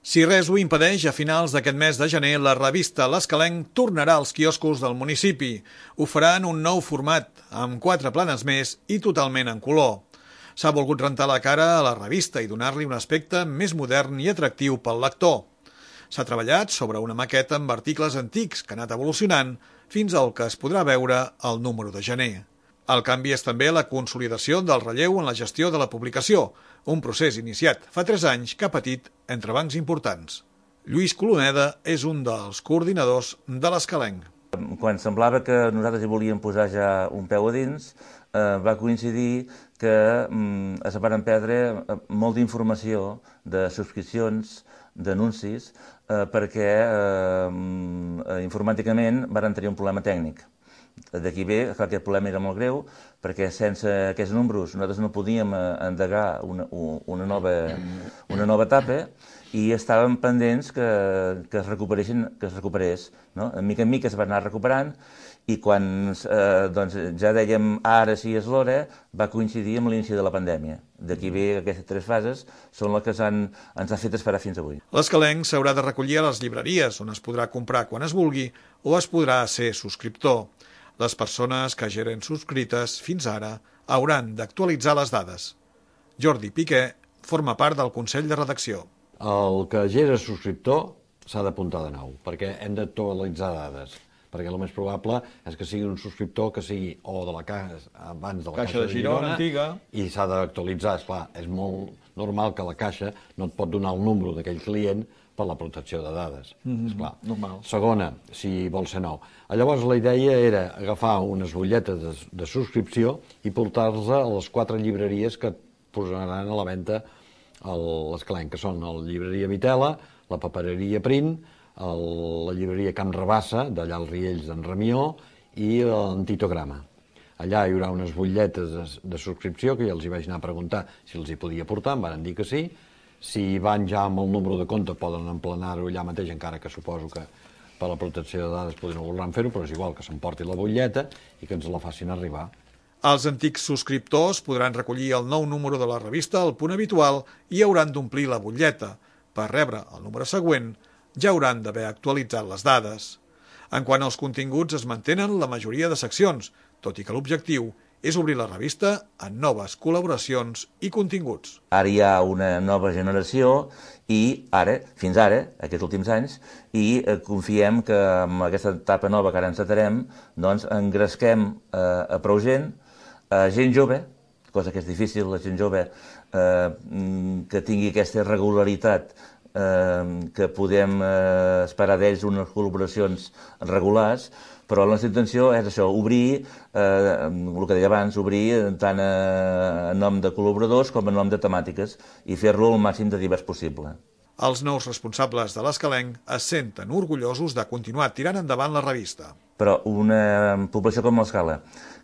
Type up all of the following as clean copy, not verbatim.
Si res ho impedeix, a finals d'aquest mes de gener, la revista L'Escalenc tornarà als quioscos del municipi. Ho farà en un nou format, amb 4 planes més i totalment en color. S'ha volgut rentar la cara a la revista i donar-li un aspecte més modern i atractiu pel lector. S'ha treballat sobre una maqueta amb articles antics que ha anat evolucionant fins al que es podrà veure al número de gener. El canvi és també la consolidació del relleu en la gestió de la publicació, un procés iniciat fa 3 anys que ha patit entrebancs importants. Lluís Coloneda és un dels coordinadors de l'Escalenc. Quan semblava que nosaltres hi volíem posar ja un peu a dins, va coincidir que es van perdre molta informació de subscripcions, d'anuncis, perquè informàticament van tenir un problema tècnic. D'aquí ve que aquest problema era molt greu, perquè sense aquests números nosaltres no podíem endegar una nova etapa i estàvem pendents que es recuperés. No? De mica en mica es va anar recuperant i quan ja dèiem ara sí és l'hora, va coincidir amb l'inici de la pandèmia. D'aquí ve que aquestes 3 fases són les que ens ha fet esperar fins avui. L'Escalenc s'haurà de recollir a les llibreries, on es podrà comprar quan es vulgui o es podrà ser subscriptor. Les persones que ja eren subscrites fins ara hauran d'actualitzar les dades. Jordi Piqué forma part del Consell de Redacció. El que ja era subscriptor s'ha d'apuntar de nou, perquè hem d'actualitzar dades, perquè el més probable és que sigui un subscriptor que sigui o de la caixa abans de la Caixa de Girona antiga, i s'ha d'actualitzar. Esclar, és molt normal que la Caixa no et pot donar el número d'aquell client per la protecció de dades. Esclar. Normal. Segona, si vol ser nou. Llavors la idea era agafar unes butlletes de subscripció i portar-les a les 4 llibreries que posaran a la venda a l'Escalenc, que són la llibreria Vitela, la papereria Print, la llibreria Camp Rabassa, d'allà als Riells d'en Ramió, i l'Antitograma. Allà hi haurà unes butlletes de subscripció que ja els hi vaig anar a preguntar si els hi podia portar, em van dir que sí. Si van ja amb el número de compte poden emplenar-ho allà mateix, encara que suposo que per la protecció de dades no voldran fer-ho, però és igual que s'emporti la butlleta i que ens la facin arribar. Els antics subscriptors podran recollir el nou número de la revista al punt habitual i hauran d'omplir la butlleta. Per rebre el número següent ja hauran d'haver actualitzat les dades. En quant als continguts, es mantenen la majoria de seccions, tot i que l'objectiu és obrir la revista en noves col·laboracions i continguts. Ara hi ha una nova generació i ara, fins ara, aquests últims anys, i confiem que amb aquesta etapa nova que ara encetarem, doncs engresquem a prou gent jove, cosa que és difícil, la gent jove que tingui aquesta regularitat, que podem esperar d'ells unes col·laboracions regulars, però la nostra intenció és això, obrir, el que deia abans, obrir tant en nom de col·laboradors com en nom de temàtiques i fer-lo el màxim de divers possible. Els nous responsables de l'Escalenc es senten orgullosos de continuar tirant endavant la revista. Però una població com l'Escala,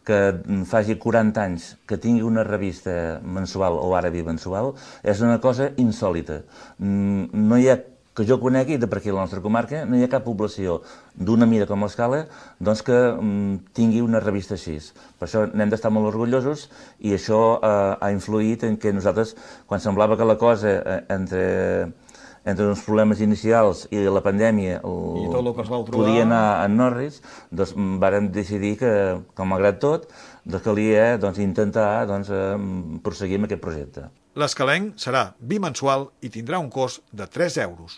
que faci 40 anys que tingui una revista mensual o ara bimensual, és una cosa insòlita. No hi ha, que jo conegui, de per aquí a la nostra comarca, no hi ha cap població d'una mida com l'Escala doncs que tingui una revista així. Per això n'hem d'estar molt orgullosos i això ha influït en que nosaltres, quan semblava que la cosa entre uns problemes inicials i la pandèmia podia anar en Norris, doncs vàrem decidir que, malgrat tot, calia intentar prosseguir amb aquest projecte. L'Escalenc serà bimensual i tindrà un cost de 3 euros.